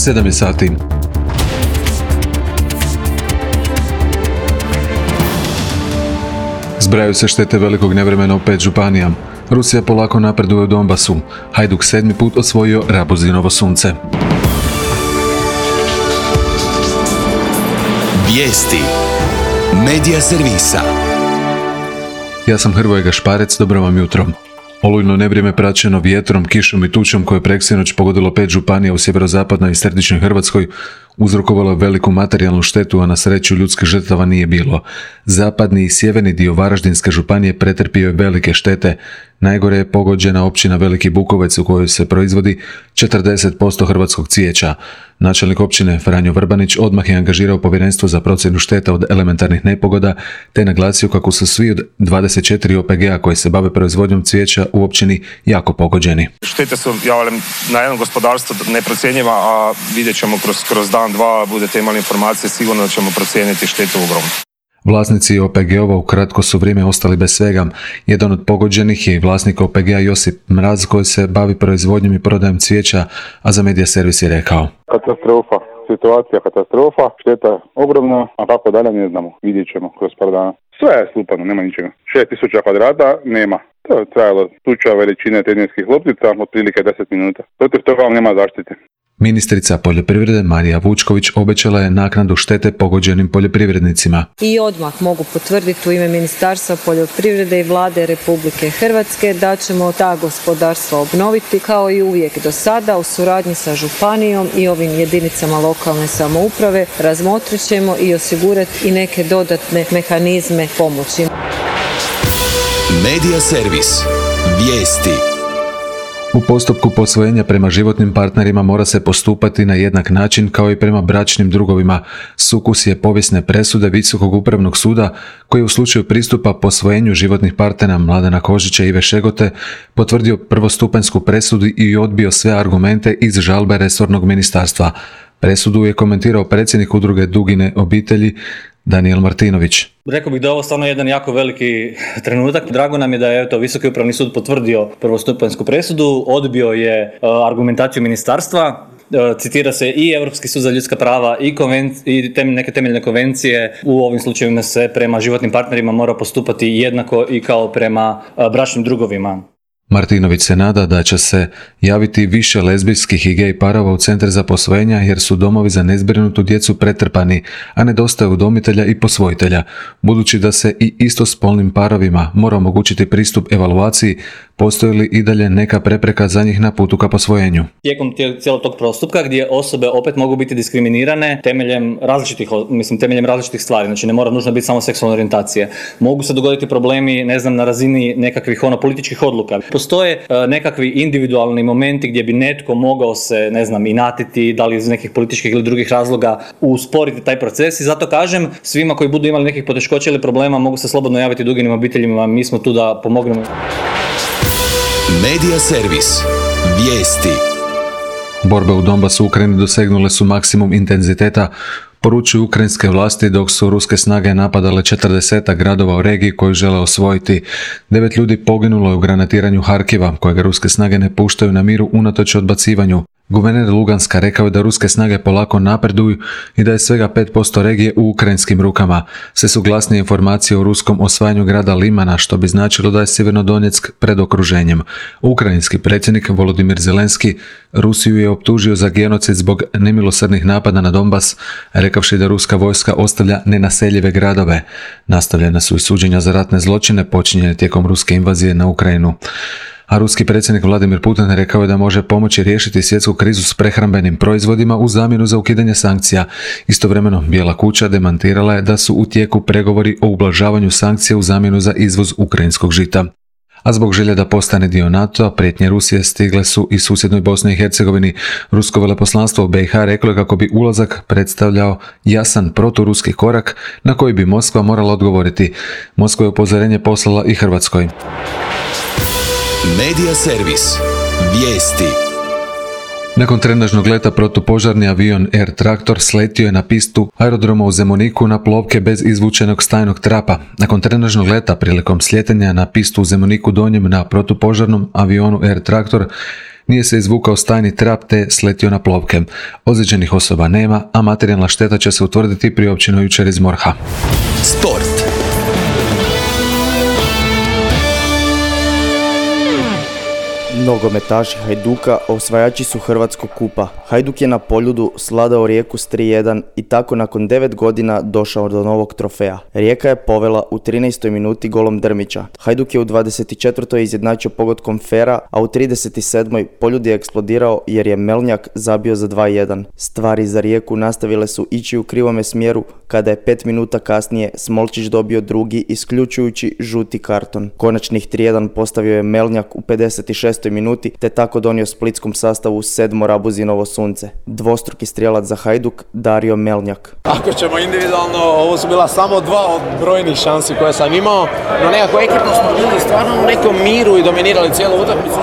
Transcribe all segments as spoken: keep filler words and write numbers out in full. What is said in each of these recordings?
sedam je sati. Zbrajaju se štete velikog nevremena u pet županija. Rusija polako napreduje u Donbasu. Hajduk sedmi put osvojio Rabuzinovo sunce. Vijesti Medija servisa. Ja sam Hrvoje Gašparec, dobro vam jutro. Olujno nevrijeme praćeno vjetrom, kišom i tučom koje je preksinoć pogodilo pet županija u sjeverozapadnoj i središnjoj Hrvatskoj uzrokovalo veliku materijalnu štetu, a na sreću ljudskih žrtava nije bilo. Zapadni i sjeverni dio Varaždinske županije pretrpio je velike štete. Najgore je pogođena općina Veliki Bukovec u kojoj se proizvodi četrdeset posto hrvatskog cvijeća. Načelnik općine Franjo Vrbanić odmah je angažirao povjerenstvo za procjenu šteta od elementarnih nepogoda te naglasio kako su svi od dvadeset četiri O P G-a koji se bave proizvodnjom cvijeća u općini jako pogođeni. Štete su javljam na jednom gospodarstvu neprocjenjiva, a vidjet ćemo kroz, kroz dan, dva, budete imali informacije, sigurno da ćemo procijeniti štetu ogromnu. Vlasnici O P G-ova u kratko su vrijeme ostali bez svega. Jedan od pogođenih je i vlasnik O P G-a Josip Mraz koji se bavi proizvodnjom i prodajom cvijeća, a za Medija servis je rekao: Katastrofa, situacija katastrofa, šteta ogromna, a kako dalje ne znamo, vidjet ćemo kroz par dana. Sve je slupano, nema ničega. šest tisuća kvadrata nema. To je trajalo tuča veličine tenisskih loptica, otprilike deset minuta. Protiv toga vam nema zaštite. Ministrica poljoprivrede Marija Vučković obećala je naknadu štete pogođenim poljoprivrednicima. I odmah mogu potvrditi u ime Ministarstva poljoprivrede i Vlade Republike Hrvatske da ćemo ta gospodarstva obnoviti kao i uvijek do sada u suradnji sa županijom i ovim jedinicama lokalne samouprave. Razmotrit ćemo i osigurati i neke dodatne mehanizme pomoći. Medija servis. Vijesti. U postupku posvojenja prema životnim partnerima mora se postupati na jednak način kao i prema bračnim drugovima. Sukus je povijesne presude Visokog upravnog suda koji u slučaju pristupa posvojenju životnih partnera Mladena Kožića i Ive Šegote potvrdio prvostupanjsku presudu i odbio sve argumente iz žalbe resornog ministarstva. Presudu je komentirao predsjednik udruge Dugine obitelji Danijel Martinović. Rekao bih da je ovo stvarno jedan jako veliki trenutak. Drago nam je da je eto, Visoki upravni sud potvrdio prvostupanjsku presudu, odbio je uh, argumentaciju ministarstva. Uh, citira se i Europski sud za ljudska prava i, konvenci- i tem- neke temeljne konvencije. U ovim slučajevima se prema životnim partnerima mora postupati jednako i kao prema uh, bračnim drugovima. Martinović se nada da će se javiti više lezbijskih i gej parova u centar za posvojenja jer su domovi za nezbrinutu djecu pretrpani, a nedostaje udomitelja i posvojitelja. Budući da se i istospolnim parovima mora omogućiti pristup evaluaciji, postoji li i dalje neka prepreka za njih na putu ka posvojenju? Tijekom cijelog tog postupka gdje osobe opet mogu biti diskriminirane temeljem različitih, mislim, temeljem različitih stvari, znači ne mora nužno biti samo seksualne orijentacije. Mogu se dogoditi problemi, ne znam, na razini nekakvih ono političkih odluka. Postoje uh, nekakvi individualni momenti gdje bi netko mogao se, ne znam, inatiti, da li iz nekih političkih ili drugih razloga usporiti taj proces i zato kažem svima koji budu imali nekih poteškoća ili problema mogu se slobodno javiti Duginim obiteljima, mi smo tu da pomognemo. Medija servis. Vijesti. Borbe u Donbasu u Ukrajini dosegnule su maksimum intenziteta, poručuju ukrajinske vlasti dok su ruske snage napadale četrdesetak gradova u regiji koju žele osvojiti. Devet ljudi poginulo je u granatiranju Harkiva, kojega ruske snage ne puštaju na miru unatoč odbacivanju. Guverner Luganska rekao je da ruske snage polako napreduju i da je svega pet posto regije u ukrajinskim rukama. Sve su glasnije informacije o ruskom osvajanju grada Limana, što bi značilo da je Sjevernodonjeck pred okruženjem. Ukrajinski predsjednik Volodimir Zelenski Rusiju je optužio za genocid zbog nemilosrdnih napada na Donbas, rekavši da ruska vojska ostavlja nenaseljive gradove. Nastavljena su i suđenja za ratne zločine počinjene tijekom ruske invazije na Ukrajinu. A ruski predsjednik Vladimir Putin rekao je da može pomoći riješiti svjetsku krizu s prehrambenim proizvodima u zamjenu za ukidanje sankcija. Istovremeno, Bijela kuća demantirala je da su u tijeku pregovori o ublažavanju sankcija u zamjenu za izvoz ukrajinskog žita. A zbog želje da postane dio NATO-a, prijetnje Rusije stigle su i susjednoj Bosni i Hercegovini. Rusko veleposlanstvo u B i H reklo je kako bi ulazak predstavljao jasan proturuski korak na koji bi Moskva morala odgovoriti. Moskva je upozorenje poslala i Hrvatskoj. Medija servis. Vijesti. Nakon trenažnog leta protupožarni avion Air Traktor sletio je na pistu aerodroma u Zemuniku na plovke bez izvučenog stajnog trapa. Nakon trenažnog leta prilikom sljetanja na pistu u Zemuniku Donjem na protupožarnom avionu Air Traktor Nije se izvukao stajni trap te sletio na plovke. Ozlijeđenih osoba nema, a materijalna šteta će se utvrditi priopćeno jučer iz MORH-a. Sport. Nogometaši Hajduka osvajači su Hrvatskog kupa. Hajduk je na Poljudu sladao Rijeku s tri jedan i tako nakon devet godina došao do novog trofeja. Rijeka je povela u trinaestoj minuti golom Drmića. Hajduk je u dvadeset četvrtoj izjednačio pogodkom Fera, a u trideset sedmoj Poljud je eksplodirao jer je Melnjak zabio za dva jedan. Stvari za Rijeku nastavile su ići u krivome smjeru kada je pet minuta kasnije Smolčić dobio drugi isključujući žuti karton. Konačnih tri jedan postavio je Melnjak u pedeset šestoj minuti te tako donio splitskom sastavu sedmo Rabuzinovo sunce. Dvostruki strijelac za Hajduk Dario Melnjak. Ako ćemo individualno, ovo su bila samo dva od brojnih šansi koje sam imao, no nekako ekipno smo bili stvarno u nekom miru i dominirali cijelu utakmicu.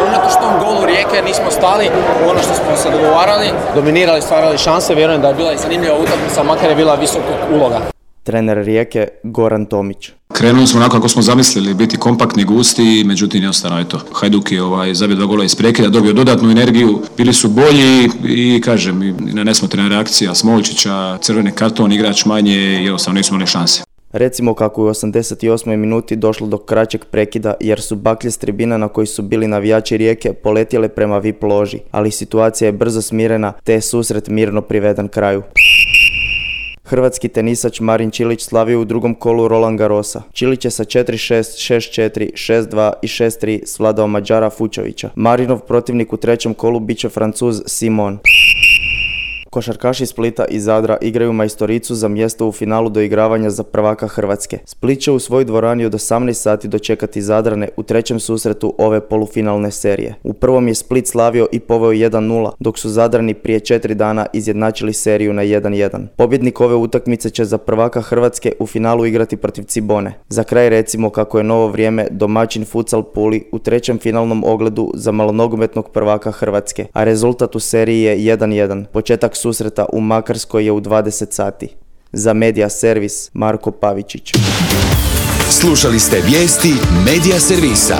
Unatoč tom golu Rijeke nismo stali u ono što smo se dogovarali, dominirali, stvarali šanse, vjerujem da je bila i zanimljiva utakmica, makar je bila visokog uloga. Trener Rijeke Goran Tomić. Krenuli smo onako kako smo zamislili, biti kompaktni, gusti, međutim jednostavno je to. Hajduk je ovaj, zabio dva gola iz prekida, dobio dodatnu energiju, bili su bolji i kažem, i nesmotrena reakcija Smolčića, crveni karton, igrač manje i jednostavno nismo imali šanse. Recimo kako je u osamdeset osmoj minuti došlo do kraćeg prekida jer su baklje s tribina na koji su bili navijači Rijeke poletjele prema V I P loži, ali situacija je brzo smirena te je susret mirno priveden kraju. Hrvatski tenisač Marin Čilić slavio u drugom kolu Roland Garrosa. Čilić je sa četiri šest, šest četiri, šest dva i šest tri svladao Mađara Fučovića. Marinov protivnik u trećem kolu bit će Francuz Simon. Košarkaši Splita i Zadra igraju majstoricu za mjesto u finalu doigravanja za prvaka Hrvatske. Split će u svojoj dvorani od osamnaest sati dočekati Zadrane u trećem susretu ove polufinalne serije. U prvom je Split slavio i poveo jedan nula, dok su Zadrani prije četiri dana izjednačili seriju na jedan jedan. Pobjednik ove utakmice će za prvaka Hrvatske u finalu igrati protiv Cibone. Za kraj recimo kako je novo vrijeme domaćin Futsal Puli u trećem finalnom ogledu za malonogometnog prvaka Hrvatske, a rezultat u seriji je jedan jedan. Početak susreta u Makarskoj je u dvadeset sati. Za Medija Servis Marko Pavičić. Slušali ste vijesti Medija Servisa.